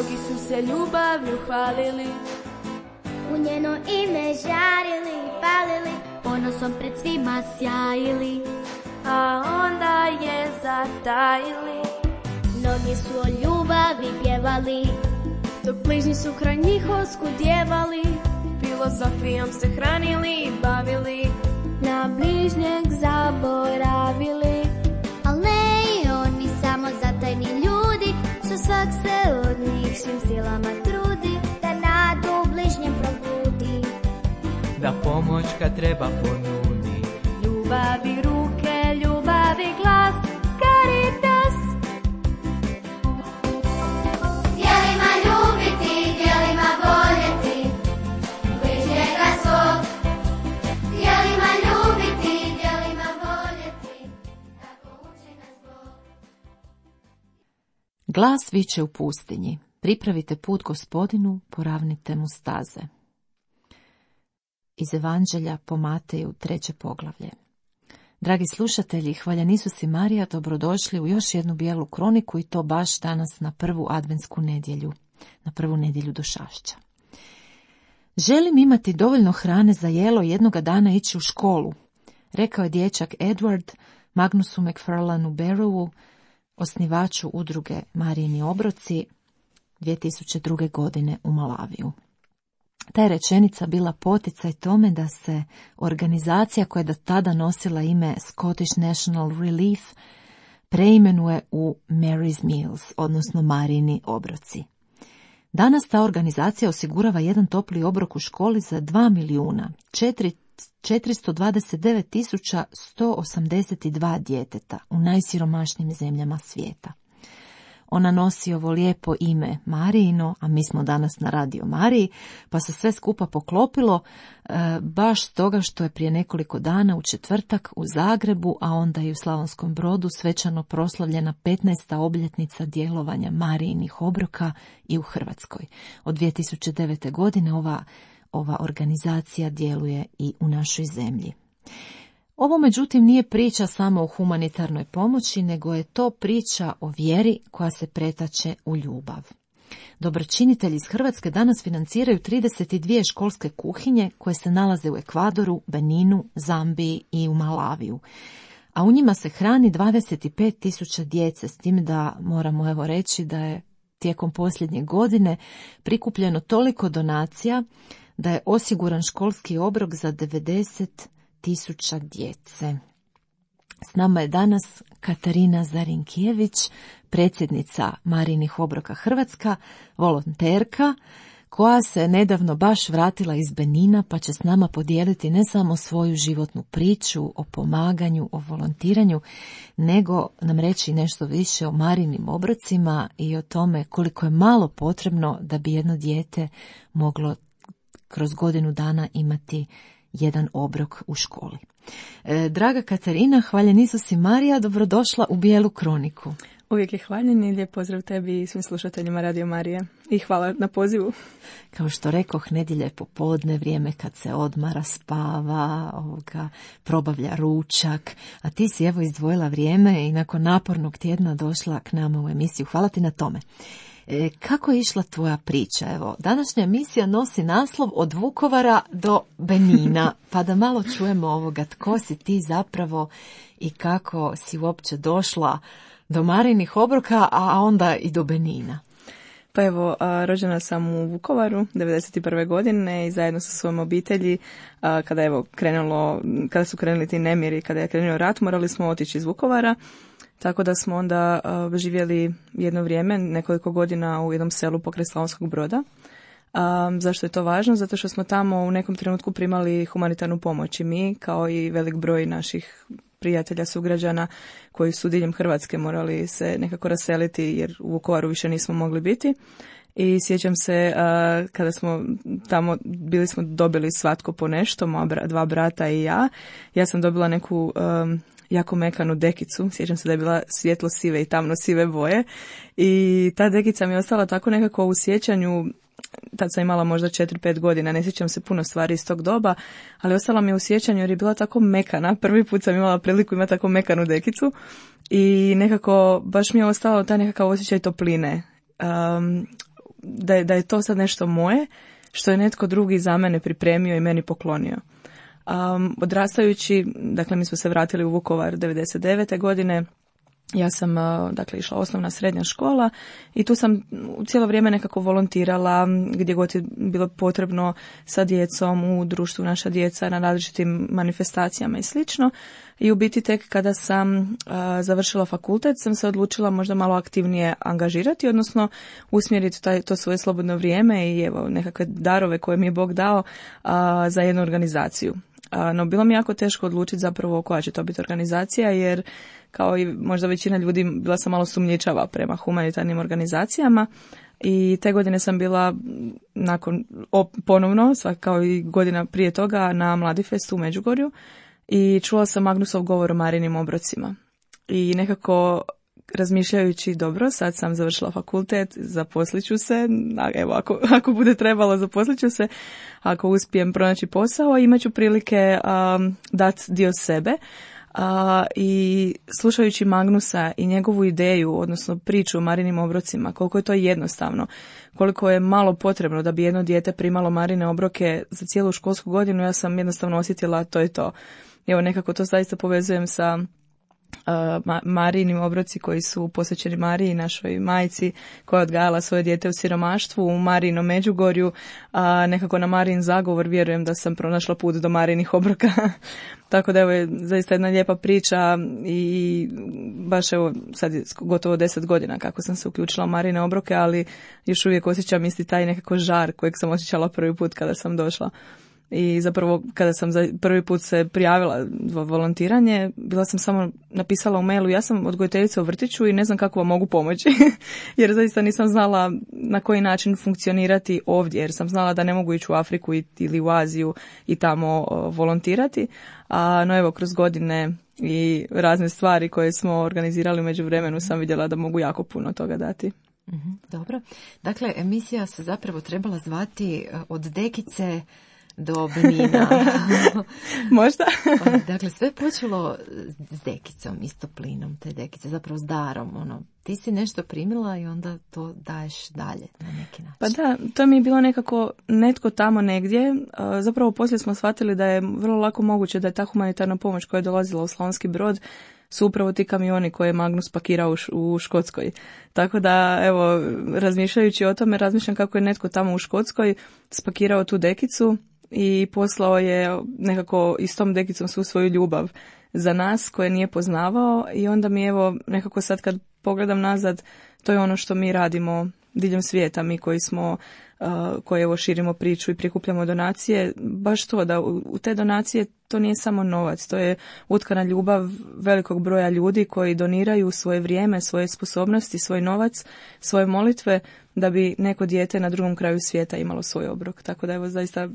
mnogi su se ljubavlju hvalili, u njeno ime žarili, palili, ponosom pred svima sjajili, a onda je zatajili. Mnogi su o ljubavi pjevali, dok bližnji su kraj njih oskudjevali, filozofijom se hranili i bavili, na bližnjeg zaboravili. al ne i oni, samo zatajni ljudi, što svak se od njih svim silama trudi, da nadu bližnjem probudi, da pomoć kad treba ponudi. Ljubavi ruke, ljubavi glas, Caritas. djelima ljubiti, djelima voljeti, bližnjega svog, djelima ljubiti, djelima voljeti, tako uči nas Bog. Glas viče u pustinji, pripravite put Gospodinu, poravnite mu staze. Iz Evanđelja po Mateju 3. poglavlje. Dragi slušatelji, hvaljen Isus i Marija, dobrodošli u još jednu bijelu kroniku i to baš danas na prvu adventsku nedjelju, na prvu nedjelju Došašća. Želim imati dovoljno hrane za jelo i jednoga dana ići u školu, rekao je dječak Edward Magnusu McFarlanu Barrowu, osnivaču udruge Marijini obroci, 2002. godine u Malaviju. Ta je rečenica bila poticaj tome da se organizacija koja je do tada nosila ime Scottish National Relief preimenuje u Mary's Meals, odnosno Marijini obroci. Danas ta organizacija osigurava jedan topli obrok u školi za 2.429.182 djeteta u najsiromašnijim zemljama svijeta. Ona nosi ovo lijepo ime Marijino, a mi smo danas na Radio Mariji, pa se sve skupa poklopilo baš stoga što je prije nekoliko dana u četvrtak u Zagrebu, a onda i u Slavonskom Brodu svečano proslavljena 15. obljetnica djelovanja Marijinih obroka i u Hrvatskoj. Od 2009. godine ova organizacija djeluje i u našoj zemlji. Ovo međutim nije priča samo o humanitarnoj pomoći, nego je to priča o vjeri koja se pretače u ljubav. Dobročinitelji iz Hrvatske danas financiraju 32 školske kuhinje koje se nalaze u Ekvadoru, Beninu, Zambiji i u Malaviju. A u njima se hrani 25.000 djece, s tim da moramo reći da je tijekom posljednje godine prikupljeno toliko donacija da je osiguran školski obrok za 90.000 djece. S nama je danas Katarina Zarinkijević, predsjednica Marijinih obroka Hrvatska, volonterka, koja se nedavno baš vratila iz Benina, pa će s nama podijeliti ne samo svoju životnu priču o pomaganju, o volontiranju, nego nam reći nešto više o Marijinim obrocima i o tome koliko je malo potrebno da bi jedno dijete moglo kroz godinu dana imati jedan obrok u školi. Draga Katarina, hvaljen Isus i Marija, dobrodošla u Bijelu kroniku. Uvijek je hvaljen i lijep pozdrav tebi i svim slušateljima Radio Marije. I hvala na pozivu. Kao što rekoh, nedjelja je popodne, vrijeme kad se odmara, spava, probavlja ručak, a ti si evo izdvojila vrijeme i nakon napornog tjedna došla k nama u emisiju. Hvala ti na tome. Kako je išla tvoja priča? Evo, današnja emisija nosi naslov Od Vukovara do Benina, pa da malo čujemo tko si ti zapravo i kako si uopće došla do Marijinih obroka, a onda i do Benina. Pa evo, rođena sam u Vukovaru 1991. godine i zajedno sa svojom obitelji, kada su krenuli ti nemiri, kada je krenuo rat, morali smo otići iz Vukovara. Tako da smo onda živjeli jedno vrijeme, nekoliko godina u jednom selu pokraj Slavonskog Broda. Zašto je to važno? Zato što smo tamo u nekom trenutku primali humanitarnu pomoć i mi, kao i velik broj naših prijatelja, sugrađana koji su diljem Hrvatske morali se nekako raseliti jer u Vukovaru više nismo mogli biti. I sjećam se kada smo tamo bili, smo dobili svatko po nešto, moja dva brata i ja. Ja sam dobila neku jako mekanu dekicu, sjećam se da je bila svjetlo sive i tamno sive boje i ta dekica mi je ostala tako nekako u sjećanju. Tad sam imala možda 4-5 godina, ne sjećam se puno stvari iz tog doba, ali ostala mi je u sjećanju jer je bila tako mekana. Prvi put sam imala priliku imati tako mekanu dekicu i nekako baš mi je ostao taj nekakav osjećaj topline. da je to sad nešto moje, što je netko drugi za mene pripremio i meni poklonio. Odrastajući, dakle mi smo se vratili u Vukovar 99. godine, ja sam dakle išla osnovna srednja škola i tu sam cijelo vrijeme nekako volontirala gdje god je bilo potrebno sa djecom u društvu Naša djeca na različitim manifestacijama i slično. I u biti tek kada sam završila fakultet sam se odlučila možda malo aktivnije angažirati, odnosno usmjeriti to svoje slobodno vrijeme i evo nekakve darove koje mi je Bog dao za jednu organizaciju. No bilo mi jako teško odlučiti zapravo koja će to biti organizacija, jer kao i možda većina ljudi bila sam malo sumnjičava prema humanitarnim organizacijama i te godine sam bila ponovno, kao i godina prije toga, na Mladifestu u Međugorju i čula sam Magnusov govor o Marijinim obrocima. I nekako razmišljajući, dobro, sad sam završila fakultet, zaposlit ću se, evo ako bude trebalo zaposlit ću se, ako uspijem pronaći posao, imat ću prilike dati dio sebe. I slušajući Magnusa i njegovu ideju, odnosno priču o Marijinim obrocima, koliko je to jednostavno, koliko je malo potrebno da bi jedno dijete primalo Marijine obroke za cijelu školsku godinu, ja sam jednostavno osjetila to je to. Evo nekako to zaista povezujem sa Marijinim obroci koji su posvećeni Mariji, našoj majci koja je odgajala svoje dijete u siromaštvu u Marijinom Međugorju, a nekako na Marijin zagovor vjerujem da sam pronašla put do Marijinih obroka. Tako da evo je zaista jedna lijepa priča i baš evo sad je gotovo 10 godina kako sam se uključila u Marijine obroke, ali još uvijek osjećam isti taj nekako žar kojeg sam osjećala prvi put kada sam došla. I zapravo kada sam za prvi put se prijavila za volontiranje, bila sam samo napisala u mailu, ja sam odgojiteljica u vrtiću i ne znam kako vam mogu pomoći, jer zaista nisam znala na koji način funkcionirati ovdje, jer sam znala da ne mogu ići u Afriku ili u Aziju i tamo volontirati, no evo kroz godine i razne stvari koje smo organizirali u međuvremenu sam vidjela da mogu jako puno toga dati. Dobro, dakle emisija se zapravo trebala zvati Od dekice do Benina. Možda. Dakle, sve počelo s dekicom, istoplinom te dekice, zapravo s darom. Ti si nešto primila i onda to daješ dalje na neki način. Pa da, to mi je bilo nekako netko tamo negdje. Zapravo poslije smo shvatili da je vrlo lako moguće da je ta humanitarna pomoć koja je dolazila u Slavonski Brod su upravo ti kamioni koje je Magnus pakirao u Škotskoj. Tako da, evo, razmišljajući o tome, razmišljam kako je netko tamo u Škotskoj spakirao tu dekicu i poslao je nekako i s tom dekicom svu svoju ljubav za nas koje nije poznavao i onda mi evo nekako sad kad pogledam nazad, to je ono što mi radimo diljem svijeta, mi koji evo širimo priču i prikupljamo donacije, baš to da u te donacije to nije samo novac, to je utkana ljubav velikog broja ljudi koji doniraju svoje vrijeme, svoje sposobnosti, svoj novac, svoje molitve da bi neko dijete na drugom kraju svijeta imalo svoj obrok. Tako da evo zaista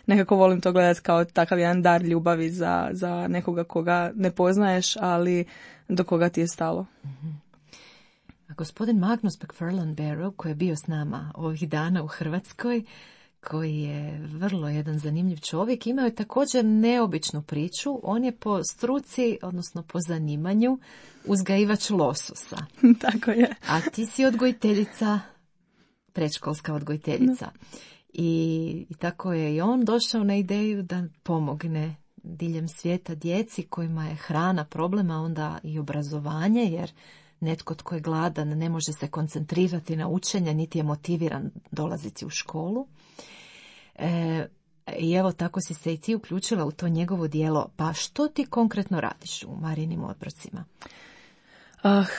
nekako volim to gledati kao takav jedan dar ljubavi za nekoga koga ne poznaješ, ali do koga ti je stalo. A gospodin Magnus McFarlane Barrow, koji je bio s nama ovih dana u Hrvatskoj, koji je vrlo jedan zanimljiv čovjek, imao je također neobičnu priču. On je po struci, odnosno po zanimanju, uzgajivač lososa. Tako je. A ti si odgojiteljica, predškolska odgojiteljica. I tako je i on došao na ideju da pomogne diljem svijeta djeci kojima je hrana problema, onda i obrazovanje, jer netko tko je gladan ne može se koncentrirati na učenje, niti je motiviran dolaziti u školu. I evo tako si se i ti uključila u to njegovo djelo. Pa što ti konkretno radiš u Marijinim obrocima?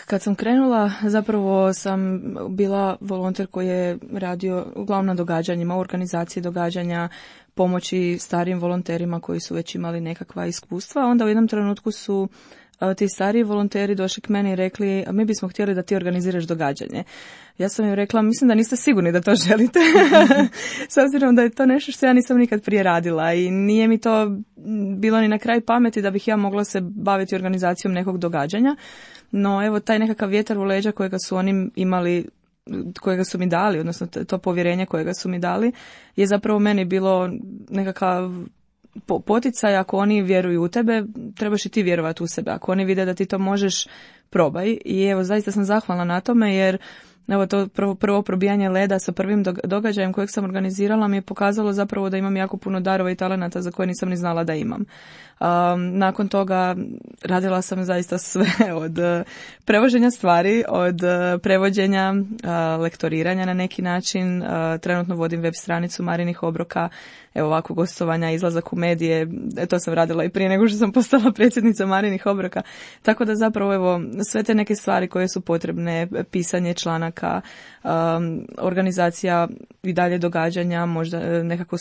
Kad sam krenula, zapravo sam bila volonter koji je radio uglavnom na događanjima, u organizaciji događanja, pomoći starijim volonterima koji su već imali nekakva iskustva. Onda u jednom trenutku su ti stariji volonteri došli k meni i rekli, mi bismo htjeli da ti organiziraš događanje. Ja sam im rekla, mislim da niste sigurni da to želite, s obzirom da je to nešto što ja nisam nikad prije radila i nije mi to bilo ni na kraj pameti da bih ja mogla se baviti organizacijom nekog događanja. No evo taj nekakav vjetar u leđa kojega su oni imali, kojega su mi dali, odnosno to povjerenje kojega su mi dali, je zapravo meni bilo nekakav poticaj. Ako oni vjeruju u tebe, trebaš i ti vjerovati u sebe. Ako oni vide da ti to možeš, probaj. I evo, zaista sam zahvalna na tome jer evo to prvo probijanje leda sa prvim događajem kojeg sam organizirala mi je pokazalo zapravo da imam jako puno darova i talenata za koje nisam ni znala da imam. Nakon toga radila sam zaista sve od prevoženja stvari, od prevođenja, lektoriranja na neki način. Trenutno vodim web stranicu Marinih obroka, evo ovako gostovanja, izlazak u medije, to sam radila i prije nego što sam postala predsjednica Marinih obroka. Tako da zapravo evo sve te neke stvari koje su potrebne, pisanje članaka, organizacija i dalje događanja, možda nekako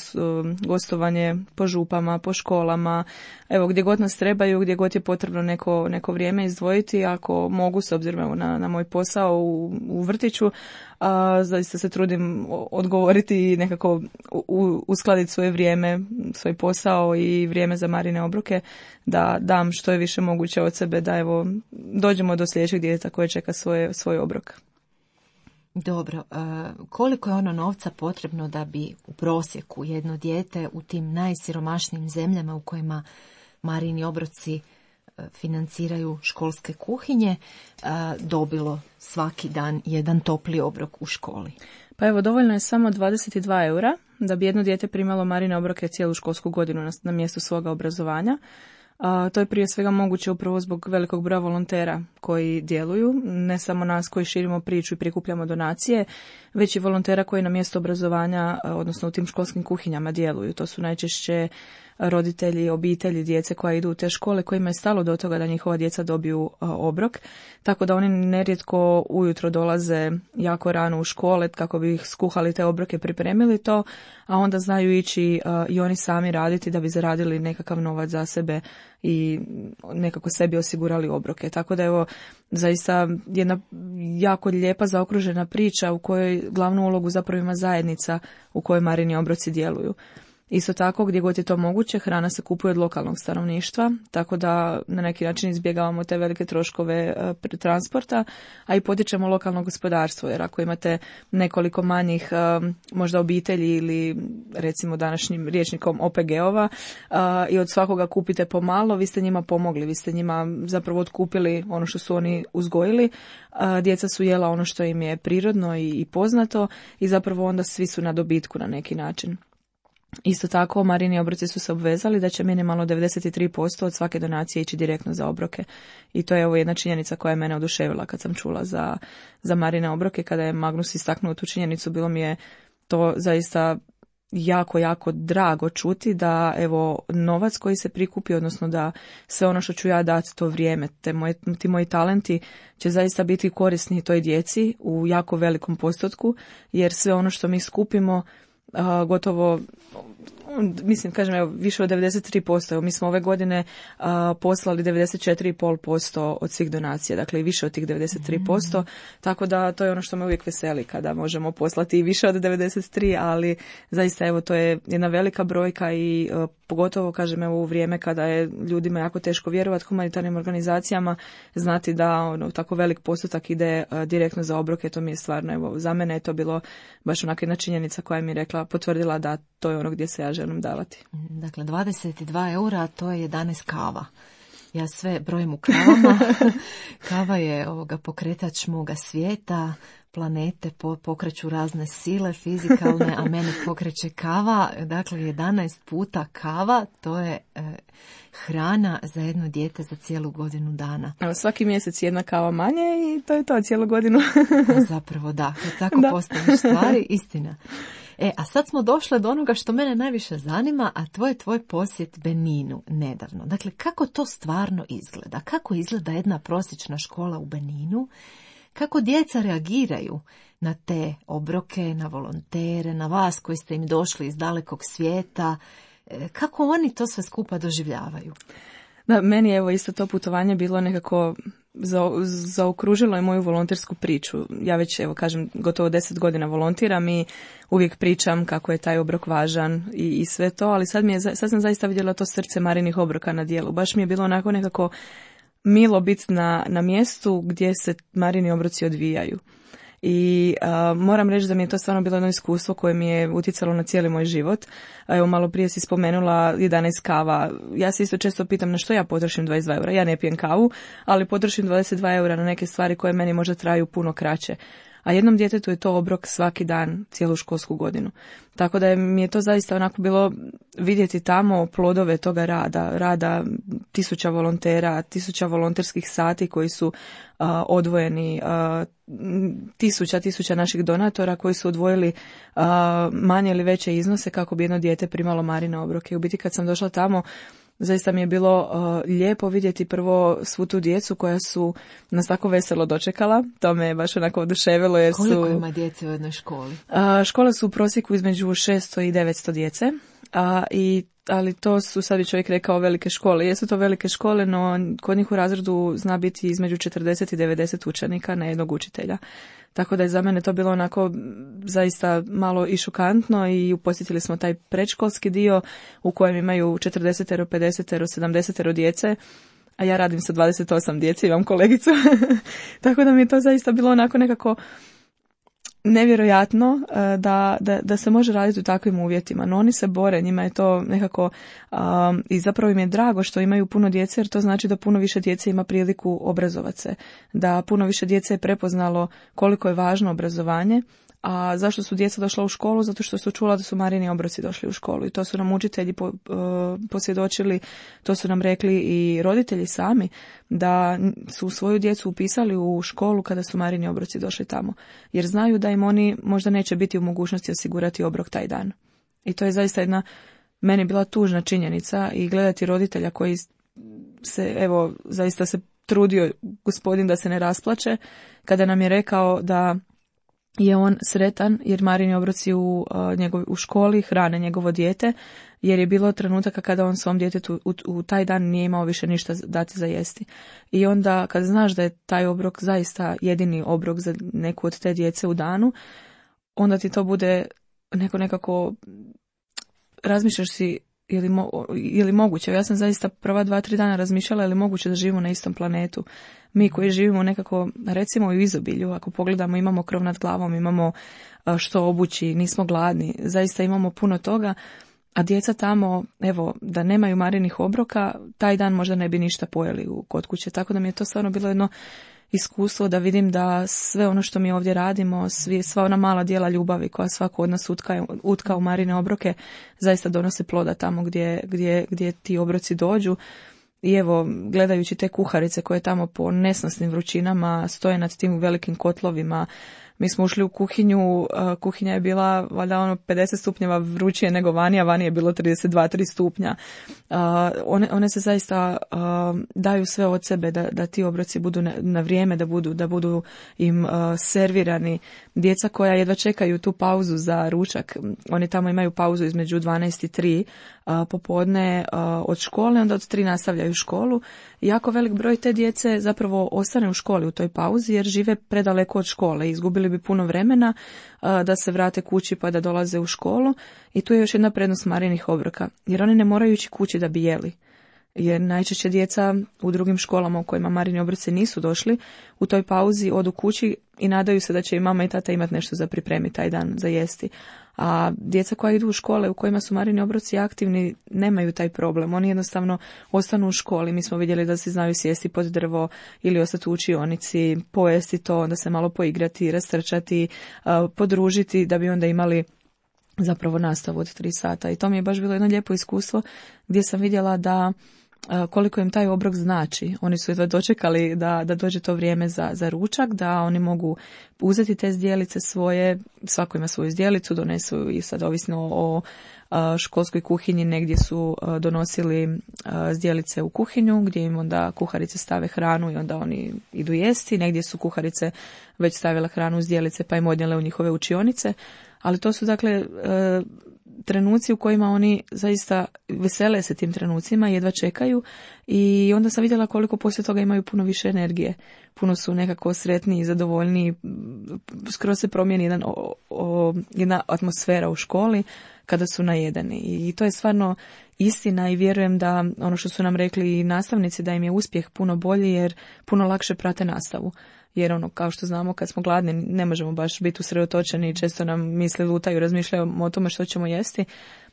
gostovanje po župama, po školama, evo gdje god nas trebaju, gdje god je potrebno neko vrijeme izdvojiti, ako mogu s obzirom na moj posao u vrtiću, zaista se trudim odgovoriti i nekako uskladiti svoje vrijeme, svoj posao i vrijeme za Marine obroke, da dam što je više moguće od sebe, da evo dođemo do sljedećeg djeteta koje čeka svoj obrok. Dobro, koliko je ono novca potrebno da bi u prosjeku jedno dijete u tim najsiromašnijim zemljama u kojima Marini obroci financiraju školske kuhinje dobilo svaki dan jedan topli obrok u školi? Pa evo, dovoljno je samo 22 eura da bi jedno dijete primalo Marine obroke cijelu školsku godinu na mjestu svoga obrazovanja. To je prije svega moguće upravo zbog velikog broja volontera koji djeluju, ne samo nas koji širimo priču i prikupljamo donacije, već i volontera koji na mjestu obrazovanja, odnosno u tim školskim kuhinjama djeluju. To su najčešće roditelji, obitelji djece koja idu u te škole, kojima je stalo do toga da njihova djeca dobiju obrok, tako da oni nerijetko ujutro dolaze jako rano u škole kako bi ih skuhali te obroke, pripremili to, a onda znaju ići i oni sami raditi da bi zaradili nekakav novac za sebe i nekako sebi osigurali obroke. Tako da evo, zaista jedna jako lijepa zaokružena priča u kojoj glavnu ulogu zapravo ima zajednica u kojoj Marini obroci djeluju. Isto tako, gdje god je to moguće, hrana se kupuje od lokalnog stanovništva, tako da na neki način izbjegavamo te velike troškove transporta, a i potičemo lokalno gospodarstvo, jer ako imate nekoliko manjih možda obitelji ili recimo današnjim rječnikom OPG-ova i od svakoga kupite pomalo, vi ste njima pomogli, vi ste njima zapravo otkupili ono što su oni uzgojili, djeca su jela ono što im je prirodno i poznato i zapravo onda svi su na dobitku na neki način. Isto tako, Marini obroci su se obvezali da će minimalno 93% od svake donacije ići direktno za obroke. I to je ovo jedna činjenica koja je mene oduševila kad sam čula za Marine obroke. Kada je Magnus istaknuo tu činjenicu, bilo mi je to zaista jako, jako drago čuti da evo novac koji se prikupi, odnosno da sve ono što ću ja dati to vrijeme, ti moji talenti će zaista biti korisni toj djeci u jako velikom postotku, jer sve ono što mi skupimo gotovo, mislim, kažem, evo, više od 93%. Evo, mi smo ove godine poslali 94,5% od svih donacija, dakle i više od tih 93%, tako da to je ono što me uvijek veseli kada možemo poslati i više od 93, ali zaista evo to je jedna velika brojka i pogotovo, kažem, evo u vrijeme kada je ljudima jako teško vjerovati humanitarnim organizacijama, znati da tako velik postotak ide direktno za obroke, to mi je stvarno, evo, za mene je to bilo baš onaka jedna činjenica koja mi je rekla, potvrdila da to je ono gdje se ja želim davati. Dakle, 22 eura, to je 11 kava. Ja sve brojim u kavama. Kava je pokretač moga svijeta, planete pokreću razne sile fizikalne, a mene pokreće kava. Dakle, 11 puta kava, to je hrana za jedno dijete za cijelu godinu dana. Evo, svaki mjesec jedna kava manje i to je to cijelu godinu. Zapravo da, kad tako postaviš stvari, istina. A sad smo došle do onoga što mene najviše zanima, a to je tvoj posjet Beninu nedavno. Dakle, kako to stvarno izgleda? Kako izgleda jedna prosječna škola u Beninu? Kako djeca reagiraju na te obroke, na volontere, na vas koji ste im došli iz dalekog svijeta? Kako oni to sve skupa doživljavaju? Da, meni evo isto to putovanje bilo nekako zaokružilo je moju volontersku priču. Ja već, evo kažem, gotovo 10 godina volontiram i uvijek pričam kako je taj obrok važan i sve to, ali sad sam zaista vidjela to srce Marinih obroka na djelu. Baš mi je bilo onako nekako milo biti na mjestu gdje se Marini obroci odvijaju. I moram reći da mi je to stvarno bilo jedno iskustvo koje mi je utjecalo na cijeli moj život. Evo, malo prije si spomenula 11 kava. Ja se isto često pitam na što ja potrošim 22 eura. Ja ne pijem kavu, ali potrošim 22 eura na neke stvari koje meni možda traju puno kraće. a jednom djetetu je to obrok svaki dan, cijelu školsku godinu. Tako da mi je to zaista onako bilo vidjeti tamo plodove toga rada 1000 volontera, 1000 volonterskih sati koji su odvojeni, 1000 naših donatora koji su odvojili manje ili veće iznose kako bi jedno dijete primalo Marine obroke. U biti kad sam došla tamo, zaista mi je bilo lijepo vidjeti prvo svu tu djecu koja su nas tako veselo dočekala. To me je baš onako oduševilo. Jer koliko ima djece u jednoj školi? Škole su u prosjeku između 600 i 900 djece. Ali to su, sad bi čovjek rekao, velike škole. Jesu to velike škole, no kod njih u razredu zna biti između 40 i 90 učenika na jednog učitelja. Tako da je za mene to bilo onako zaista malo i šokantno i posjetili smo taj predškolski dio u kojem imaju 40, 50, 70 djece, a ja radim sa 28 djece, imam kolegicu. Tako da mi je to zaista bilo onako nekako nevjerojatno da se može raditi u takvim uvjetima, no oni se bore, njima je to nekako i zapravo im je drago što imaju puno djece, jer to znači da puno više djece ima priliku obrazovati se, da puno više djece je prepoznalo koliko je važno obrazovanje. A zašto su djeca došla u školu? Zato što su čula da su Marini obroci došli u školu i to su nam učitelji posvjedočili, to su nam rekli i roditelji sami, da su svoju djecu upisali u školu kada su Marini obroci došli tamo, jer znaju da im oni možda neće biti u mogućnosti osigurati obrok taj dan. I to je zaista jedna, meni bila tužna činjenica i gledati roditelja koji se, evo, zaista se trudio gospodin da se ne rasplače kada nam je rekao da je on sretan jer Marini obroci u školi hrane njegovo dijete, jer je bilo trenutaka kada on svom djetetu u taj dan nije imao više ništa dati za jesti. I onda kad znaš da je taj obrok zaista jedini obrok za neku od te djece u danu, onda ti to bude nekako razmišljaš si je li moguće. Ja sam zaista prva 2-3 dana razmišljala je li moguće da živimo na istom planetu. Mi koji živimo nekako, recimo u izobilju, ako pogledamo imamo krov nad glavom, imamo što obući, nismo gladni, zaista imamo puno toga, a djeca tamo, evo, da nemaju Marinih obroka, taj dan možda ne bi ništa pojeli kod kuće, tako da mi je to stvarno bilo jedno iskustvo da vidim da sve ono što mi ovdje radimo, sva ona mala djela ljubavi koja svako od nas utka u Marine obroke, zaista donose ploda tamo gdje ti obroci dođu. I evo, gledajući te kuharice koje tamo po nesnosnim vrućinama stoje nad tim velikim kotlovima, mi smo ušli u kuhinju, kuhinja je bila valjda 50 stupnjeva vrućije nego vani, a vani je bilo 32-3 stupnja. One se zaista daju sve od sebe da ti obroci budu na vrijeme, da budu im servirani. Djeca koja jedva čekaju tu pauzu za ručak, oni tamo imaju pauzu između 12 i 3 popodne od škole, onda od 3 nastavljaju školu. Jako velik broj te djece zapravo ostane u školi u toj pauzi jer žive predaleko od škole. Izgubili bi puno vremena da se vrate kući pa da dolaze u školu. I tu je još jedna prednost Marinih obroka, jer oni ne moraju ići kući da bi jeli. Jer najčešće djeca u drugim školama u kojima Marini obroci nisu došli, u toj pauzi odu kući i nadaju se da će i mama i tata imati nešto za pripremiti taj dan za jesti. A djeca koja idu u škole u kojima su Marini obroci aktivni nemaju taj problem. Oni jednostavno ostanu u školi. Mi smo vidjeli da se znaju sjesti pod drvo ili ostati u učionici, pojesti to, onda se malo poigrati, rastrčati, podružiti da bi onda imali zapravo nastavu od 3 sata. I to mi je baš bilo jedno lijepo iskustvo gdje sam vidjela da koliko im taj obrok znači. Oni su jedva dočekali da dođe to vrijeme za ručak, da oni mogu uzeti te zdjelice svoje, svako ima svoju zdjelicu, donesu i sad ovisno o školskoj kuhinji, negdje su donosili zdjelice u kuhinju gdje im onda kuharice stave hranu i onda oni idu jesti, negdje su kuharice već stavile hranu u zdjelice pa im odnijele u njihove učionice, ali to su dakle trenuci u kojima oni zaista vesele se tim trenucima, jedva čekaju i onda sam vidjela koliko poslije toga imaju puno više energije. Puno su nekako sretniji, zadovoljniji, skoro se promijeni jedna atmosfera u školi kada su najedeni. I to je stvarno istina i vjerujem da ono što su nam rekli i nastavnici da im je uspjeh puno bolji jer puno lakše prate nastavu. Jer kao što znamo kad smo gladni ne možemo baš biti usredotočeni i često nam misli lutaju, razmišljaju o tome što ćemo jesti.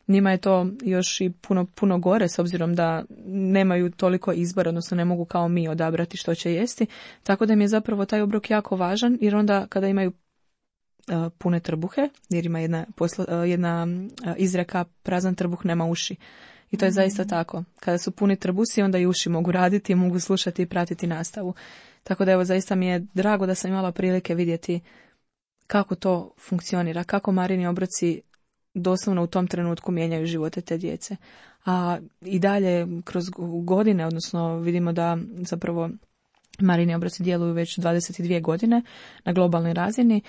Njima je to još i puno gore s obzirom da nemaju toliko izbora, odnosno ne mogu kao mi odabrati što će jesti. Tako da im je zapravo taj obrok jako važan jer onda kada imaju pune trbuhe, jer ima jedna izreka prazan trbuh nema uši. I to je zaista tako. Kada su puni trbusi, onda i uši mogu raditi, mogu slušati i pratiti nastavu. Tako da evo, zaista mi je drago da sam imala prilike vidjeti kako to funkcionira, kako Marini obroci doslovno u tom trenutku mijenjaju živote te djece. A i dalje kroz godine, odnosno vidimo da zapravo Marini obroci djeluju već 22 godine na globalnoj razini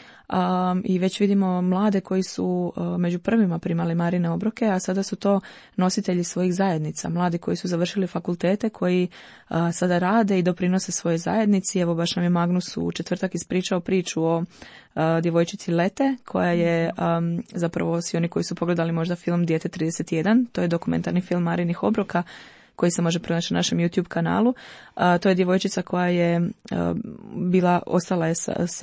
i već vidimo mlade koji su među prvima primali Marine obroke, a sada su to nositelji svojih zajednica, mladi koji su završili fakultete, koji sada rade i doprinose svojoj zajednici. Evo, baš nam je Magnus u četvrtak ispričao priču o djevojčici Lete, koja je zapravo, svi oni koji su pogledali možda film Dijete 31, to je dokumentarni film Marinih obroka, koji se može pronaći na našem YouTube kanalu. To je djevojčica koja je ostala je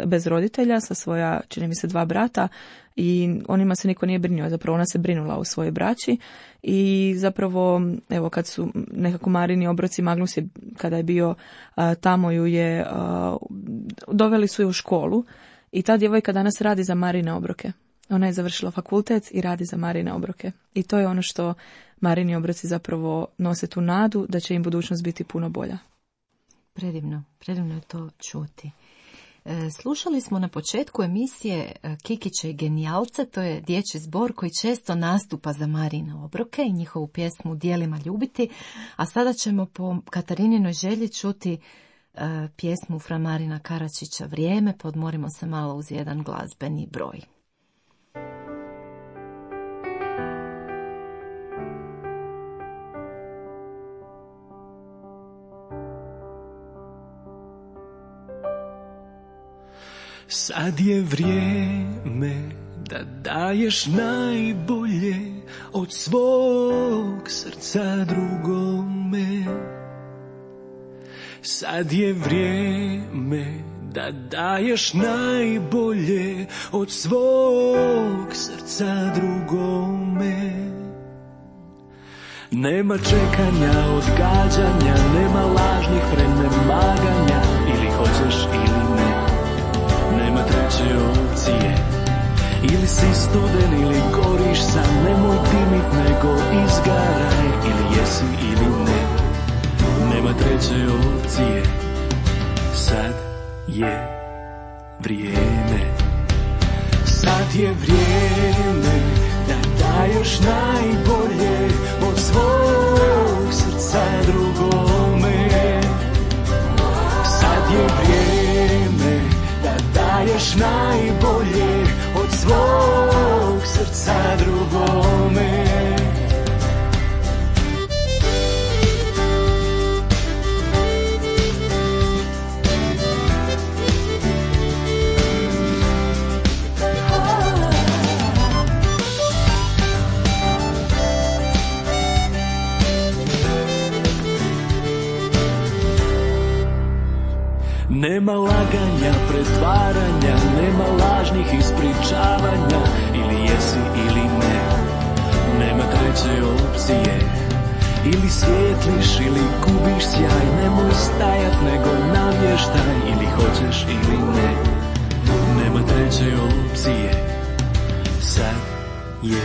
bez roditelja, sa svoja, čini mi se, 2 brata, i onima se niko nije brinuo, zapravo ona se brinula o svojoj braći i zapravo, evo, kad su nekako Marini obroci, Magnus je, kada je bio tamo, ju je, doveli su je u školu i ta djevojka danas radi za Marine obroke. Ona je završila fakultet i radi za Marine obroke. I to je ono što Marini obroci zapravo nose, tu nadu da će im budućnost biti puno bolja. Predivno je to čuti. Slušali smo na početku emisije Kikiće i genijalce, to je dječji zbor koji često nastupa za Marine obroke i njihovu pjesmu Djelima ljubiti, a sada ćemo po Katarinинoj želji čuti pjesmu fra Marina Karačića Vrijeme, podmorimo se malo uz jedan glazbeni broj. Sad je vrijeme da daješ najbolje od svog srca drugome. Sad je vrijeme da daješ najbolje od svog srca drugome. Nema čekanja, odgađanja, nema lažnih prenemaganja, ili hoćeš ili ne. Nema treće opcije, ili si studen ili goriš sam, nemoj dimit nego izgaraj, ili jesi ili ne. Nema treće opcije, sad je vrijeme. Sad je vrijeme da daješ najbolje od svog srca drugome. Sad je vrijeme da daješ najbolje od svog srca drugome. Nema laganja, pretvaranja, nema lažnih ispričavanja, ili jesi ili ne. Nema treće opcije, ili svijetliš ili gubiš sjaj, nemoj stajat nego navještaj, ili hoćeš ili ne. Nema treće opcije, sad je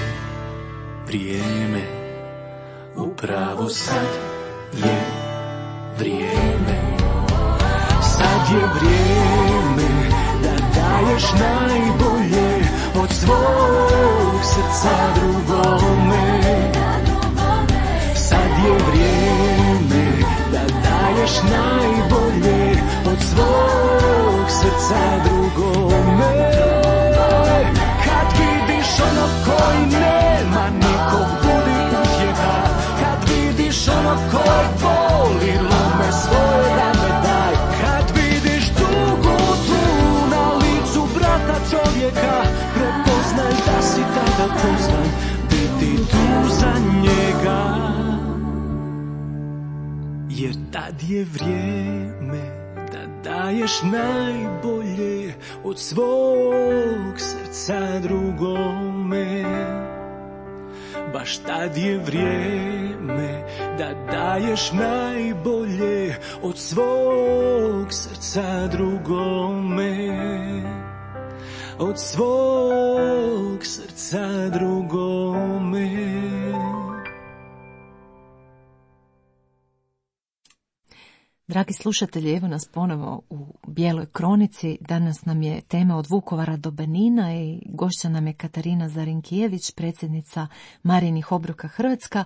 vrijeme, upravo sad je vrijeme. Sad je vrijeme da daješ najbolje od svog srca drugome. Sad je vrijeme da daješ najbolje od svog srca drugome. Kad vidiš ono koji nema nikog, budi utjeha. Kad vidiš ono koji voli, lome svoje rame daj. Kad vidiš tugu tu na licu brata čovjeka, prepoznaj da si tada pozvan biti tu za njega. Jer tad je vrijeme da daješ najbolje od svog srca drugome. Baš tad je vrijeme da daješ najbolje od svog srca drugome. od svog srca drugome. Dragi slušatelji, evo nas ponovo u Bijeloj kronici. Danas nam je tema od Vukovara do Benina i gošća nam je Katarina Zarinkijević, predsjednica Marijinih obroka Hrvatska.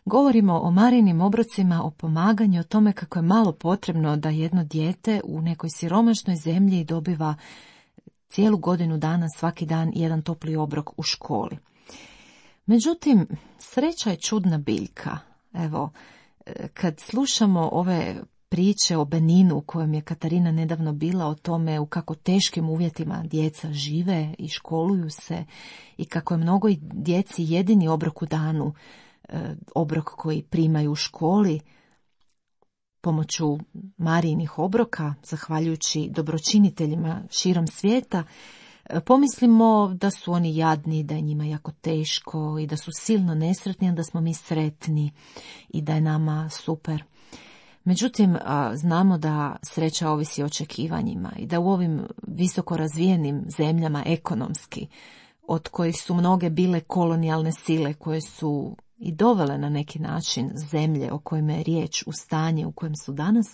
Govorimo o Marijinim obrocima, o pomaganju, o tome kako je malo potrebno da jedno dijete u nekoj siromašnoj zemlji dobiva cijelu godinu dana, svaki dan, jedan topli obrok u školi. Međutim, sreća je čudna biljka. Evo, kad slušamo ove priče o Beninu u kojem je Katarina nedavno bila, o tome u kako teškim uvjetima djeca žive i školuju se i kako je mnogo djeci jedini obrok u danu, obrok koji primaju u školi pomoću Marijinih obroka, zahvaljujući dobročiniteljima širom svijeta, pomislimo da su oni jadni, da je njima jako teško i da su silno nesretni, a da smo mi sretni i da je nama super. Međutim, znamo da sreća ovisi o očekivanjima i da u ovim visoko razvijenim zemljama ekonomski, od kojih su mnoge bile kolonijalne sile koje su i dovele na neki način zemlje o kojima je riječ u stanje u kojem su danas,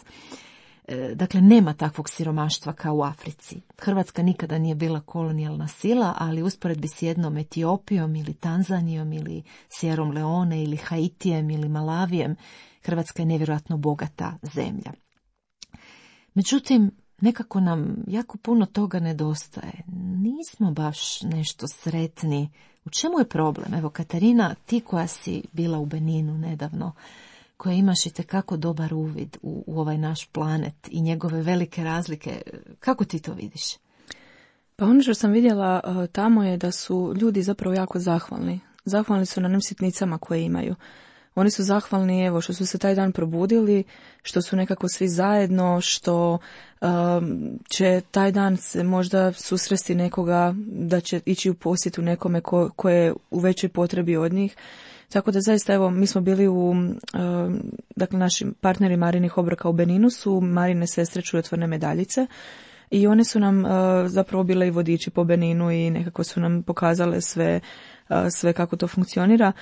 dakle nema takvog siromaštva kao u Africi. Hrvatska nikada nije bila kolonijalna sila, ali usporedbi s jednom Etiopijom ili Tanzanijom ili Sjerom Leone ili Haitijem ili Malavijem, Hrvatska je nevjerojatno bogata zemlja. Međutim, nekako nam jako puno toga nedostaje. Nismo baš nešto sretni. U čemu je problem? Evo, Katarina, ti koja si bila u Beninu nedavno, koja imaš itekako dobar uvid u ovaj naš planet i njegove velike razlike, kako ti to vidiš? Pa ono što sam vidjela tamo je da su ljudi zapravo jako zahvalni. Zahvalni su na onim sitnicama koje imaju. Oni su zahvalni, evo, što su se taj dan probudili, što su nekako svi zajedno, što će taj dan se možda susresti nekoga, da će ići u posjetu nekome ko je u većoj potrebi od njih. Tako da zaista, evo, mi smo bili dakle, naši partneri Marijinih obroka u Beninu su Marijine sestre Čudotvorne medaljice i one su nam zapravo bile i vodiči po Beninu i nekako su nam pokazale sve kako to funkcionira.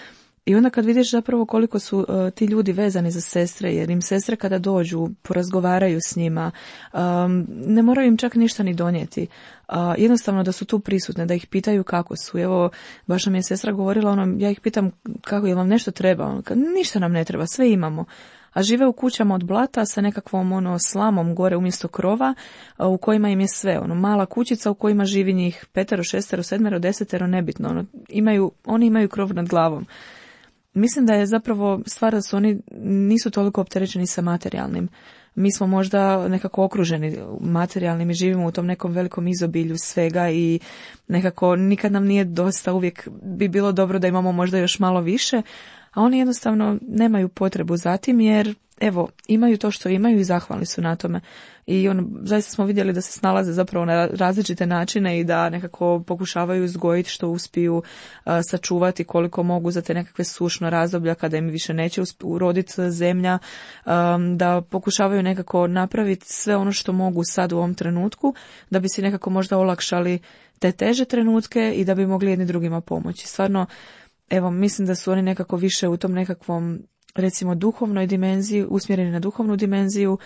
I onda kad vidiš zapravo koliko su ti ljudi vezani za sestre, jer im sestre kada dođu, porazgovaraju s njima, ne moraju im čak ništa ni donijeti. Jednostavno da su tu prisutne, da ih pitaju kako su. Evo, baš nam je sestra govorila, ja ih pitam kako, je vam nešto treba? Ništa nam ne treba, sve imamo. A žive u kućama od blata sa nekakvom slamom gore umjesto krova, u kojima im je sve. Mala kućica u kojima živi njih 5, 6, 7, 10, nebitno. Oni imaju krov nad glavom. Mislim da je zapravo stvar da su oni nisu toliko opterećeni sa materijalnim. Mi smo možda nekako okruženi materijalnim i živimo u tom nekom velikom izobilju svega i nekako nikad nam nije dosta, uvijek bi bilo dobro da imamo možda još malo više, a oni jednostavno nemaju potrebu za tim jer evo, imaju to što imaju i zahvalni su na tome. I zaista smo vidjeli da se snalaze zapravo na različite načine i da nekako pokušavaju uzgojiti što uspiju, sačuvati koliko mogu za te nekakve sušno razdoblja kada im više neće uroditi zemlja, da pokušavaju nekako napraviti sve ono što mogu sad u ovom trenutku, da bi si nekako možda olakšali te teže trenutke i da bi mogli jedni drugima pomoći. Stvarno, evo, mislim da su oni nekako više u tom nekakvom, recimo, duhovnoj dimenziji, usmjereni na duhovnu dimenziju.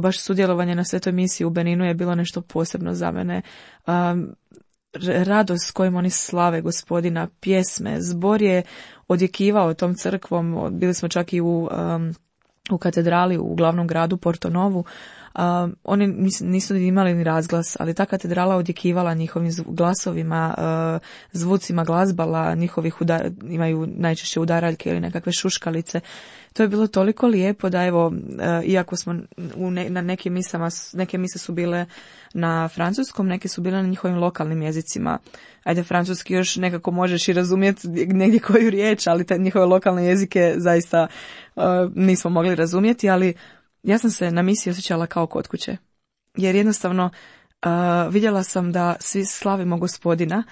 Baš sudjelovanje na svetoj misiji u Beninu je bilo nešto posebno za mene. Radost s kojim oni slave Gospodina, pjesme, zbor je odjekivao tom crkvom. Bili smo čak i u katedrali u glavnom gradu Porto Novu. Oni nisu imali ni razglas, ali ta katedrala odjekivala njihovim glasovima, zvucima glazbala, imaju najčešće udaraljke ili nekakve šuškalice. To je bilo toliko lijepo da evo, iako smo na nekim misama, neke mise su bile na francuskom, neke su bile na njihovim lokalnim jezicima. Ajde, francuski još nekako možeš i razumjeti negdje koju riječ, ali te njihove lokalne jezike zaista nismo mogli razumjeti, ali ja sam se na misiji osjećala kao kod kuće. Jer jednostavno vidjela sam da svi slavimo Gospodina,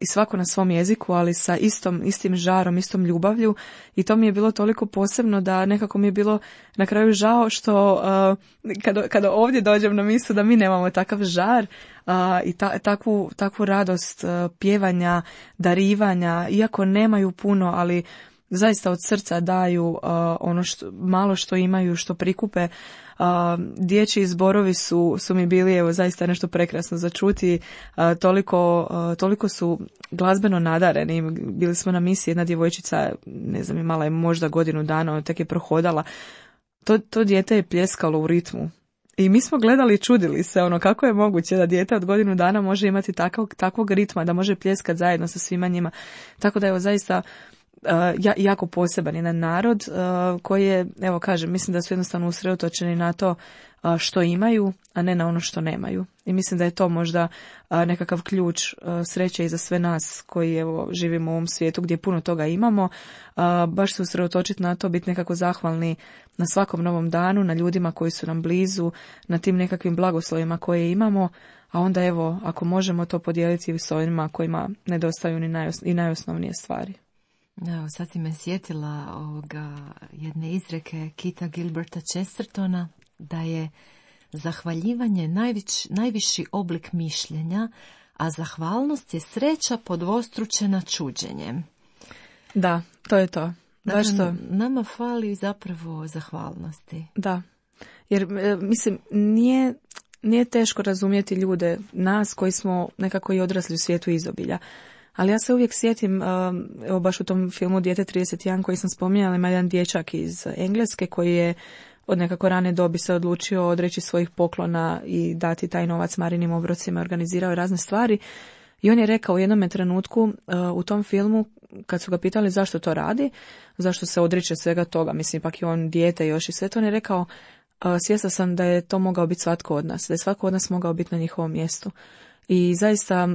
i svako na svom jeziku, ali sa istim žarom, istom ljubavlju, i to mi je bilo toliko posebno da nekako mi je bilo na kraju žao što kada ovdje dođem na misu da mi nemamo takav žar i takvu radost pjevanja, darivanja, iako nemaju puno, ali zaista od srca daju ono malo što imaju, što prikupe. Dječji zborovi su mi bili, evo, zaista nešto prekrasno za čuti. Toliko su glazbeno nadareni. Bili smo na misiji, jedna djevojčica, ne znam, imala je možda godinu dana, tek je prohodala. To dijete je pljeskalo u ritmu. I mi smo gledali i čudili se, kako je moguće da dijete od godinu dana može imati takvog ritma, da može pljeskati zajedno sa svima njima. Tako da, evo, zaista jako poseban jedan narod koji je, evo kažem, mislim da su jednostavno usredotočeni na to što imaju, a ne na ono što nemaju. I mislim da je to možda nekakav ključ sreće i za sve nas koji, evo, živimo u ovom svijetu gdje puno toga imamo. Baš se usredotočiti na to, biti nekako zahvalni na svakom novom danu, na ljudima koji su nam blizu, na tim nekakvim blagoslovima koje imamo, a onda, evo, ako možemo to podijeliti s ovima kojima nedostaju ni najosnovnije stvari. Evo, sad si me sjetila jedne izreke Kita Gilberta Chestertona, da je zahvaljivanje najviši oblik mišljenja, a zahvalnost je sreća podvostručena čuđenjem. Da, to je to. Dakle, nama fali zapravo zahvalnosti. Da, jer mislim, nije teško razumjeti ljude, nas koji smo nekako i odrasli u svijetu izobilja. Ali ja se uvijek sjetim, evo baš u tom filmu Dijete 31 koji sam spominjala, ima jedan dječak iz Engleske koji je od nekako rane dobi se odlučio odreći svojih poklona i dati taj novac Marinim obrocima, organizirao je razne stvari. I on je rekao u jednom trenutku u tom filmu, kad su ga pitali zašto to radi, zašto se odriče svega toga, mislim, ipak je on dijete još i sve to, on je rekao, svjesna sam da je to mogao biti svatko od nas, da je svatko od nas mogao biti na njihovom mjestu. I zaista,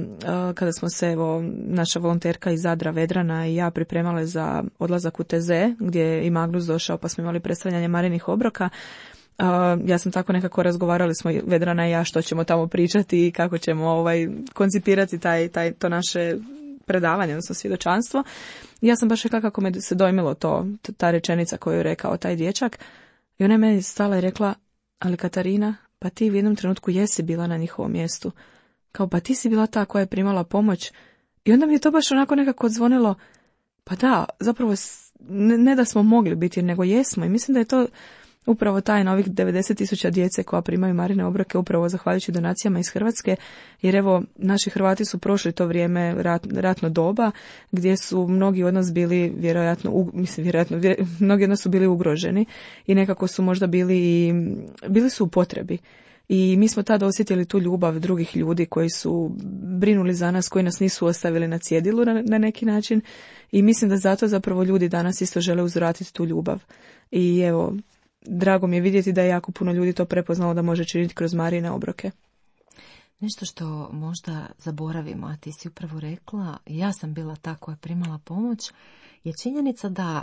kada smo se, evo, naša volonterka iz Zadra, Vedrana, i ja pripremale za odlazak u TZ, gdje je i Magnus došao, pa smo imali predstavljanje Marinih obroka, ja sam tako nekako, razgovarali smo, Vedrana i ja, što ćemo tamo pričati i kako ćemo koncipirati to naše predavanje, odnosno svjedočanstvo. I ja sam baš rekla kako me se dojmilo ta rečenica koju je rekao taj dječak. I ona je meni stala i rekla, ali Katarina, pa ti u jednom trenutku jesi bila na njihovom mjestu. Kao, pa ti si bila ta koja je primala pomoć. I onda mi je to baš onako nekako odzvonilo, pa da, zapravo ne da smo mogli biti, nego jesmo. I mislim da je to upravo tajna ovih 90.000 djece koja primaju Marine obroke, upravo zahvaljujući donacijama iz Hrvatske, jer evo, naši Hrvati su prošli to vrijeme ratno doba, gdje su mnogi od nas bili mnogi od nas su bili ugroženi i nekako su možda bili su u potrebi. I mi smo tada osjetili tu ljubav drugih ljudi koji su brinuli za nas, koji nas nisu ostavili na cjedilu na neki način. I mislim da zato zapravo ljudi danas isto žele uzvratiti tu ljubav. I evo, drago mi je vidjeti da je jako puno ljudi to prepoznalo da može činiti kroz Marine obroke. Nešto što možda zaboravimo, a ti si upravo rekla, ja sam bila ta koja je primala pomoć, je činjenica da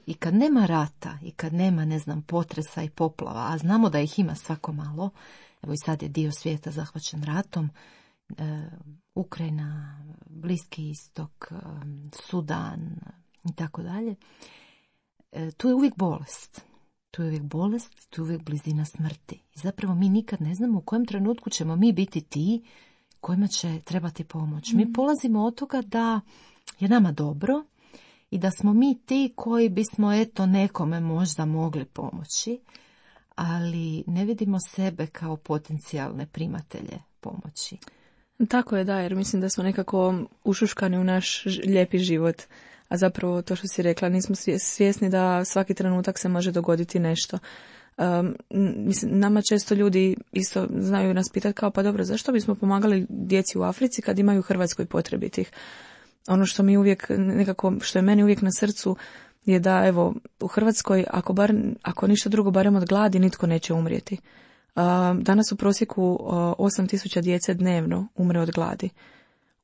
i kad nema rata, i kad nema, ne znam, potresa i poplava, a znamo da ih ima svako malo, evo i sad je dio svijeta zahvaćen ratom, Ukrajina, Bliski istok, Sudan i tako dalje, tu je uvijek bolest. Tu je uvijek blizina smrti. I zapravo mi nikad ne znamo u kojem trenutku ćemo mi biti ti kojima će trebati pomoć. Mi polazimo od toga da je nama dobro i da smo mi ti koji bismo nekome možda mogli pomoći, ali ne vidimo sebe kao potencijalne primatelje pomoći. Tako je, da, jer mislim da smo nekako ušuškani u naš lijepi život. A zapravo to što si rekla, nismo svjesni da svaki trenutak se može dogoditi nešto. Mislim, nama često ljudi isto znaju nas pitati kao, pa dobro, zašto bismo pomagali djeci u Africi kad imaju u Hrvatskoj potrebitih? Ono što mi uvijek nekako, što je meni uvijek na srcu je da, evo, u Hrvatskoj, ako ništa drugo, barem od gladi, nitko neće umrijeti. Danas u prosjeku 8.000 djece dnevno umre od gladi.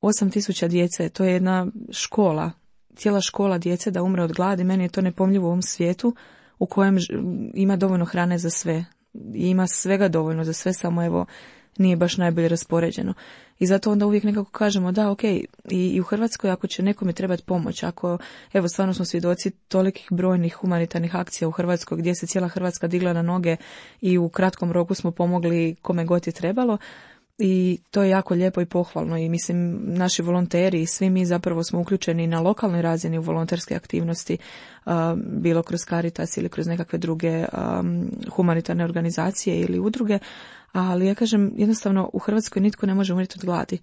8.000 djece, to je jedna škola, cijela škola djece da umre od gladi. Meni je to nepojmljivo u ovom svijetu u kojem ima dovoljno hrane za sve. I ima svega dovoljno za sve, samo evo, nije baš najbolje raspoređeno. I zato onda uvijek nekako kažemo da, ok, i u Hrvatskoj ako će nekome trebati pomoć, ako, evo, stvarno smo svjedoci tolikih brojnih humanitarnih akcija u Hrvatskoj gdje se cijela Hrvatska digla na noge i u kratkom roku smo pomogli kome god je trebalo. I to je jako lijepo i pohvalno i mislim naši volonteri i svi mi zapravo smo uključeni na lokalnoj razini u volonterske aktivnosti, bilo kroz Caritas ili kroz nekakve druge humanitarne organizacije ili udruge, ali ja kažem jednostavno u Hrvatskoj nitko ne može umrijeti od gladi.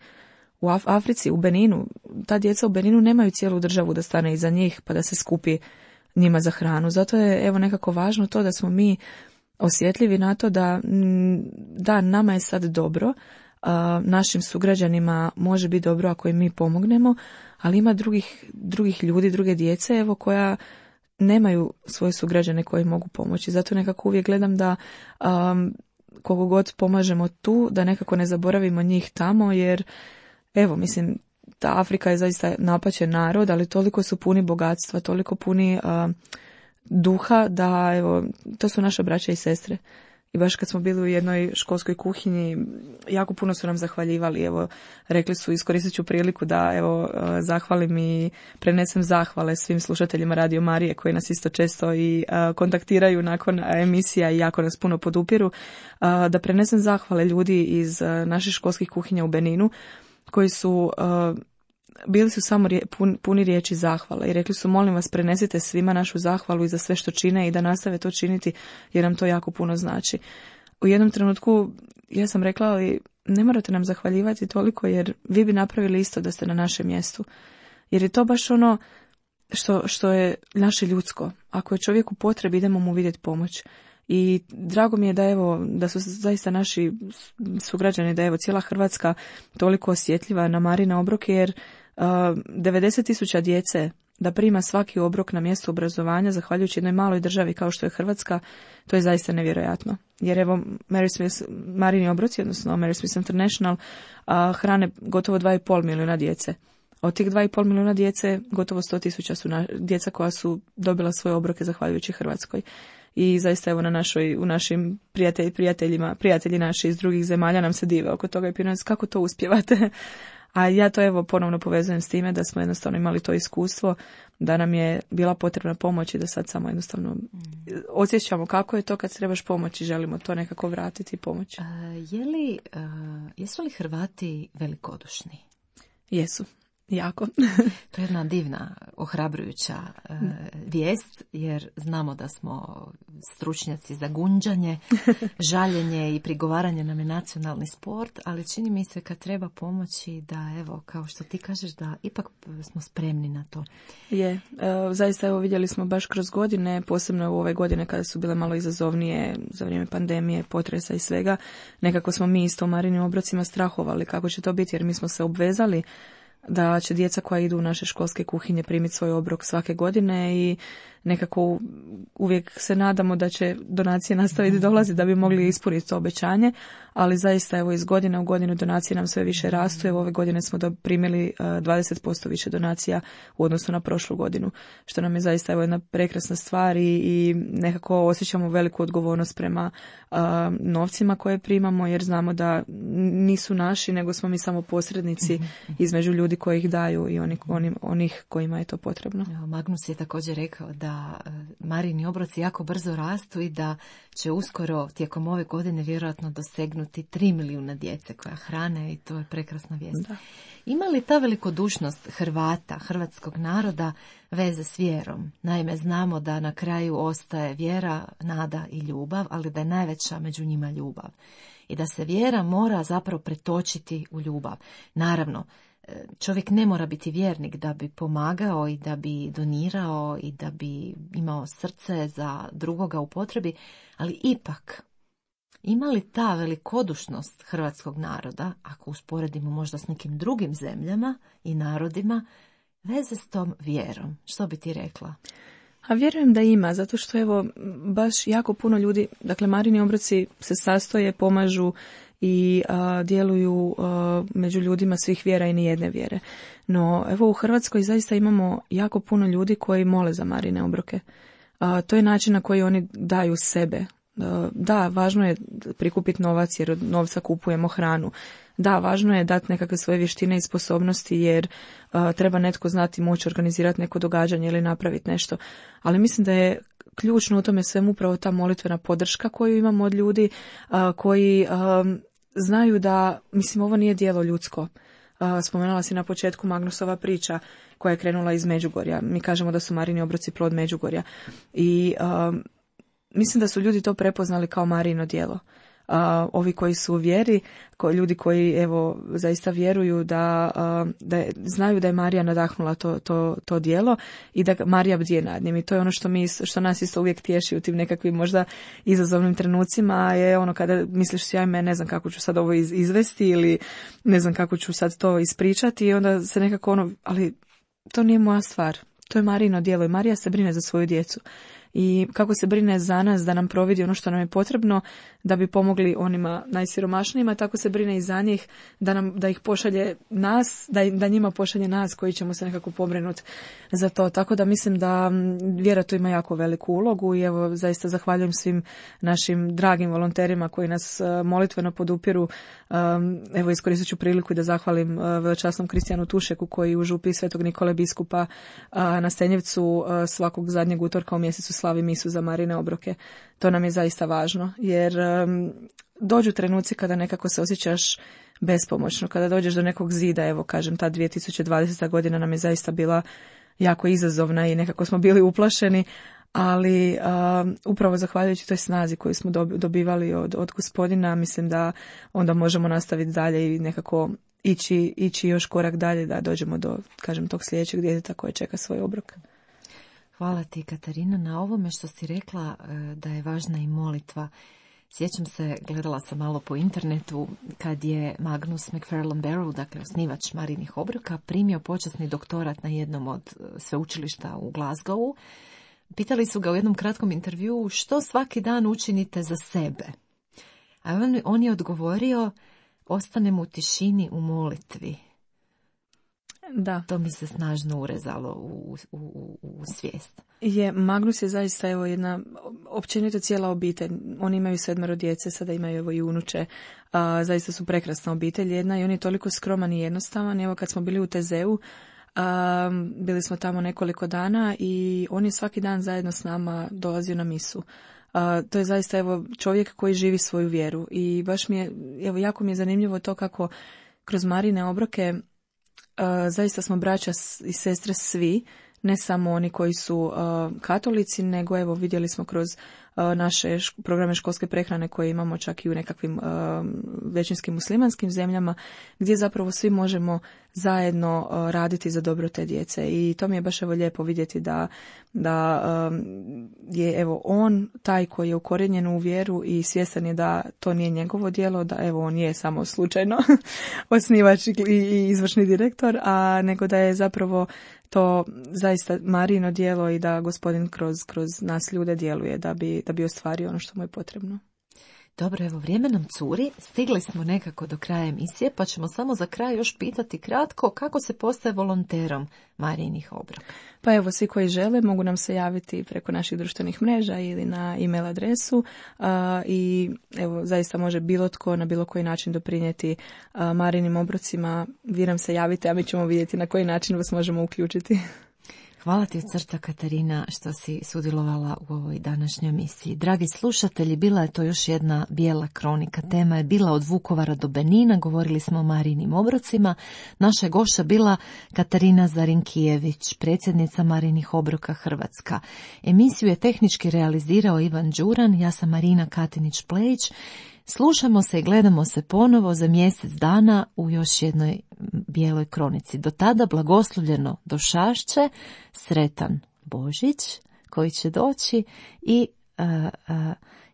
U Africi, u Beninu, ta djeca u Beninu nemaju cijelu državu da stane iza njih pa da se skupi njima za hranu. Zato je evo nekako važno to da smo mi osjetljivi na to da nama je sad dobro, našim sugrađanima može biti dobro ako im mi pomognemo, ali ima drugih ljudi, druge djece evo koja nemaju svoje sugrađane koji mogu pomoći. Zato nekako uvijek gledam da koliko god pomažemo tu, da nekako ne zaboravimo njih tamo, jer evo mislim ta Afrika je zaista napaćen narod, ali toliko su puni bogatstva, toliko puni duha da evo, to su naše braća i sestre. I baš kad smo bili u jednoj školskoj kuhinji, jako puno su nam zahvaljivali. Evo, rekli su, iskoristit ću priliku da evo zahvalim i prenesem zahvale svim slušateljima Radio Marije koji nas isto često i kontaktiraju nakon emisija i jako nas puno podupiru. Da prenesem zahvale ljudi iz naših školskih kuhinja u Beninu koji su bili su samo puni riječi zahvala i rekli su molim vas prenesite svima našu zahvalu i za sve što čine i da nastave to činiti jer nam to jako puno znači. U jednom trenutku ja sam rekla ali ne morate nam zahvaljivati toliko jer vi bi napravili isto da ste na našem mjestu. Jer je to baš ono što je naše ljudsko. Ako je čovjek u potrebi idemo mu vidjeti pomoć. I drago mi je da evo, da su zaista naši sugrađani, da evo cijela Hrvatska toliko osjetljiva na Marine obroke jer 90.000 djece da prima svaki obrok na mjestu obrazovanja zahvaljujući jednoj maloj državi kao što je Hrvatska, to je zaista nevjerojatno. Jer evo Mary Smith, Marini obroci, odnosno Mary Smith International, hrane gotovo 2,5 milijuna djece. Od tih 2,5 milijuna djece gotovo 100.000 su djeca koja su dobila svoje obroke zahvaljujući Hrvatskoj. I zaista evo u našim prijatelji naši iz drugih zemalja nam se dive oko toga i pitaju nas kako to uspijevate. A ja to evo ponovno povezujem s time da smo jednostavno imali to iskustvo, da nam je bila potrebna pomoć i da sad samo jednostavno osjećamo kako je to kad trebaš pomoći i želimo to nekako vratiti i pomoći. Jesu li Hrvati velikodušni? Jesu. Jako. To je jedna divna, ohrabrujuća vijest, jer znamo da smo stručnjaci za gunđanje, žaljenje i prigovaranje nam je nacionalni sport, ali čini mi se kad treba pomoći da, evo, kao što ti kažeš, da ipak smo spremni na to. Je, zaista evo vidjeli smo baš kroz godine, posebno u ove godine kada su bile malo izazovnije za vrijeme pandemije, potresa i svega, nekako smo mi isto u Marinim obrocima strahovali kako će to biti, jer mi smo se obvezali da će djeca koja idu u naše školske kuhinje primiti svoj obrok svake godine i nekako uvijek se nadamo da će donacije nastaviti dolaziti da bi mogli ispuniti to obećanje, ali zaista evo iz godine u godinu donacije nam sve više rastu. Evo ove godine smo primili 20% više donacija u odnosu na prošlu godinu, što nam je zaista evo jedna prekrasna stvar i nekako osjećamo veliku odgovornost prema novcima koje primamo jer znamo da nisu naši nego smo mi samo posrednici između ljudi koji ih daju i onih kojima je to potrebno. Magnus je također rekao da Marini obroci jako brzo rastu i da će uskoro tijekom ove godine vjerojatno dosegnuti 3 milijuna djece koja hrane i to je prekrasna vijest. Da. Ima li ta velikodušnost Hrvata, hrvatskog naroda veze s vjerom? Naime, znamo da na kraju ostaje vjera, nada i ljubav, ali da je najveća među njima ljubav. I da se vjera mora zapravo pretočiti u ljubav. Naravno, čovjek ne mora biti vjernik da bi pomagao i da bi donirao i da bi imao srce za drugoga u potrebi, ali ipak ima li ta velikodušnost hrvatskog naroda, ako usporedimo možda s nekim drugim zemljama i narodima, veze s tom vjerom? Što bi ti rekla? A vjerujem da ima, zato što evo baš jako puno ljudi, dakle Marini obroci se sastoje, pomažu i djeluju među ljudima svih vjera i nijedne vjere. No evo u Hrvatskoj zaista imamo jako puno ljudi koji mole za Marine obroke. To je način na koji oni daju sebe Da, važno je prikupiti novac jer od novca kupujemo hranu. Da, važno je dati nekakve svoje vještine i sposobnosti jer treba netko znati moći organizirati neko događanje ili napraviti nešto. Ali mislim da je ključno u tome svemu upravo ta molitvena podrška koju imamo od ljudi koji znaju da, mislim, ovo nije djelo ljudsko. Spomenula si na početku Magnusova priča koja je krenula iz Međugorja. Mi kažemo da su Marini obroci plod Međugorja. I mislim da su ljudi to prepoznali kao Marino djelo. Ovi koji su u vjeri, ljudi koji evo zaista vjeruju da znaju da je Marija nadahnula to djelo i da Marija bdije nad njim. I to je ono što nas isto uvijek tješi u tim nekakvim možda izazovnim trenucima, je ono kada misliš si ajme ne znam kako ću sad ovo izvesti ili ne znam kako ću sad to ispričati i onda se nekako ali to nije moja stvar. To je Marino djelo i Marija se brine za svoju djecu. I kako se brine za nas da nam providi ono što nam je potrebno da bi pomogli onima najsiromašnijima, tako se brine i za njih da ih pošalje nas, da njima pošalje nas koji ćemo se nekako pobrinuti za to. Tako da mislim da vjera tu ima jako veliku ulogu i evo zaista zahvaljujem svim našim dragim volonterima koji nas molitveno podupiru. Evo iskoristit ću priliku da zahvalim velečasnom Kristijanu Tušeku koji u župi Svetog Nikole biskupa na Stenjevcu svakog zadnjeg utorka u mjesecu slavi misu za Marine obroke. To nam je zaista važno, jer dođu trenuci kada nekako se osjećaš bespomoćno, kada dođeš do nekog zida, evo kažem, ta 2020. godina nam je zaista bila jako izazovna i nekako smo bili uplašeni, ali upravo zahvaljujući toj snazi koju smo dobivali od Gospodina, mislim da onda možemo nastaviti dalje i nekako ići još korak dalje da dođemo do, kažem, tog sljedećeg djeteta koje čeka svoj obrok. Hvala ti, Katarina, na ovome što si rekla da je važna i molitva. Sjećam se, gledala sam malo po internetu, kad je Magnus McFarlane Barrow, dakle osnivač Marinih obroka, primio počasni doktorat na jednom od sveučilišta u Glasgowu. Pitali su ga u jednom kratkom intervjuu što svaki dan učinite za sebe. A on je odgovorio, ostanem u tišini u molitvi. Da. To mi se snažno urezalo u svijest. Magnus je zaista evo jedna općenito cijela obitelj. Oni imaju 7 djece, sada imaju evo i unuče. Zaista su prekrasna obitelj jedna i on je toliko skroman i jednostavan. Evo kad smo bili u Tezeu, bili smo tamo nekoliko dana i on je svaki dan zajedno s nama dolazio na misu. To je zaista evo čovjek koji živi svoju vjeru i baš mi je, evo jako mi je zanimljivo to kako kroz Marine obroke zaista smo braća i sestre svi, ne samo oni koji su katolici, nego evo vidjeli smo kroz naše programe školske prehrane koje imamo čak i u nekakvim većinskim muslimanskim zemljama, gdje zapravo svi možemo zajedno raditi za dobro te djece. I to mi je baš evo lijepo vidjeti da je evo on taj koji je ukorijenjen u vjeru i svjestan je da to nije njegovo djelo, da evo on je samo slučajno osnivač i izvršni direktor, a nego da je zapravo to zaista Marino djelo i da Gospodin kroz nas ljude djeluje da bi ostvario ono što mu je potrebno. Dobro, evo vrijeme nam curi, stigli smo nekako do kraja emisije, pa ćemo samo za kraj još pitati kratko kako se postaje volonterom Marijinih obroka. Pa evo, svi koji žele mogu nam se javiti preko naših društvenih mreža ili na e-mail adresu i evo zaista može bilo tko na bilo koji način doprinijeti Marijinim obrocima. Vi nam se javite, a mi ćemo vidjeti na koji način vas možemo uključiti. Hvala ti od srca, Katarina, što si sudjelovala u ovoj današnjoj emisiji. Dragi slušatelji, bila je to još jedna bijela kronika. Tema je bila od Vukovara do Benina, govorili smo o Marijinim obrocima. Naša je gošća bila Katarina Zarinkijević, predsjednica Marijinih obroka Hrvatska. Emisiju je tehnički realizirao Ivan Đuran, ja sam Marina Katinić-Plejić. Slušamo se i gledamo se ponovo za mjesec dana u još jednoj bijeloj kronici. Do tada blagoslovljeno došašće, sretan Božić koji će doći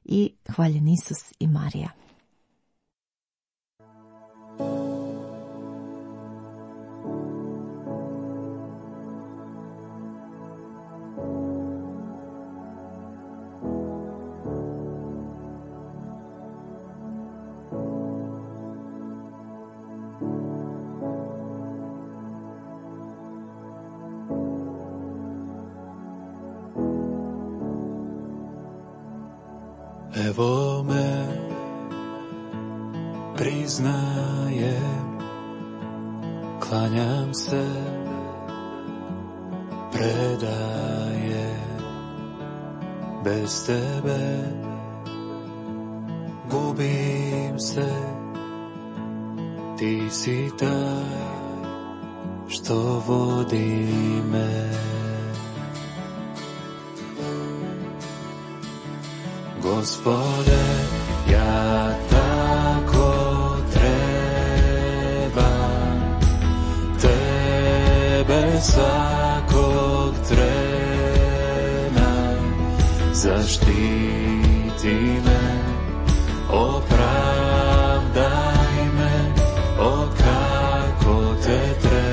i hvaljen Isus i Marija. Evo me, priznajem, klanjam se, predajem, bez tebe gubim se, ti si taj što vodi me. Gospode, ja tako trebam tebe svakog trena. Zaštiti me, opravdaj me, o kako te treba.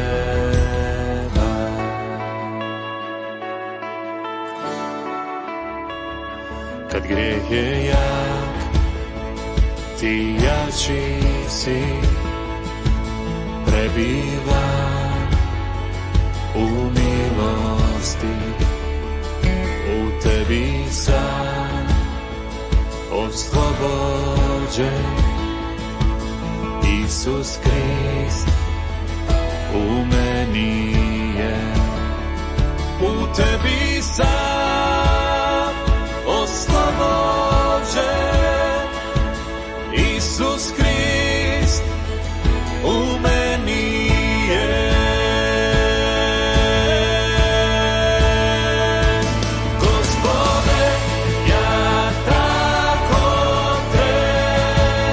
Kad grijeh je jak, ti jači si, prebivam u milosti, u tebi sam oslobođen. Isus Krist u meni je, u tebi sam oslobođen. Isus Krist u meni je. Gospode, ja tako trebam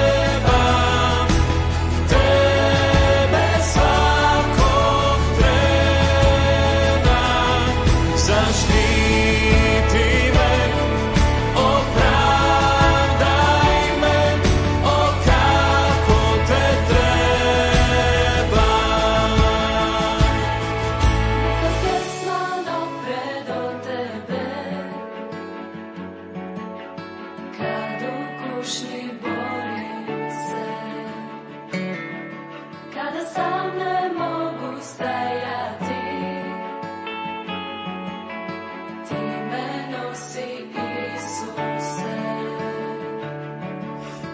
tebe svakog trena. Zaštiti me, opravdaj me, o kako te treba. Neka pjesma dopre do tebe, kad u kušnji borim se, kada sam ne mogu stajati, ti me nosi, Isuse.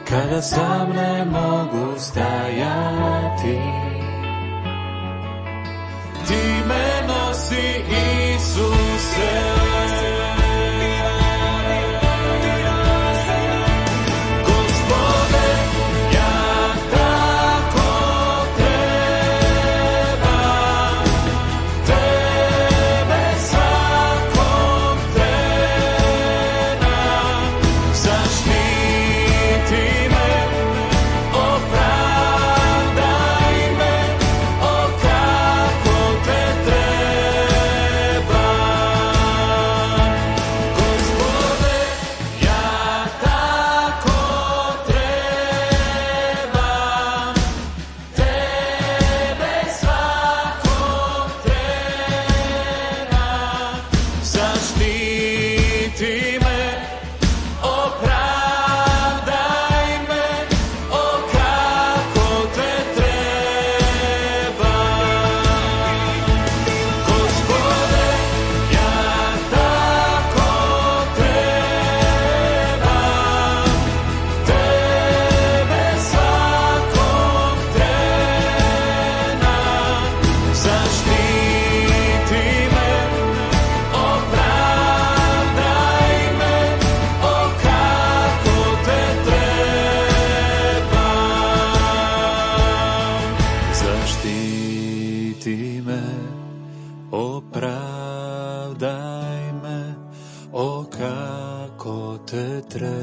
Kada sam ne mogu stajati, ti me nosi, Isuse. Gospode, ja tako trebam tebe svakog trena. Zaštiti me, opravdaj me, o kako te treba. Gospode, ja tako trebam tebe svakog trena. Zaštiti me, opravdaj me, o kako te treba. Gospode, ja tako trebam tebe svakog trena. Zaštiti me, opravdaj me, o kako te treba. Zaštiti me, opravdaj me, o kako te treba.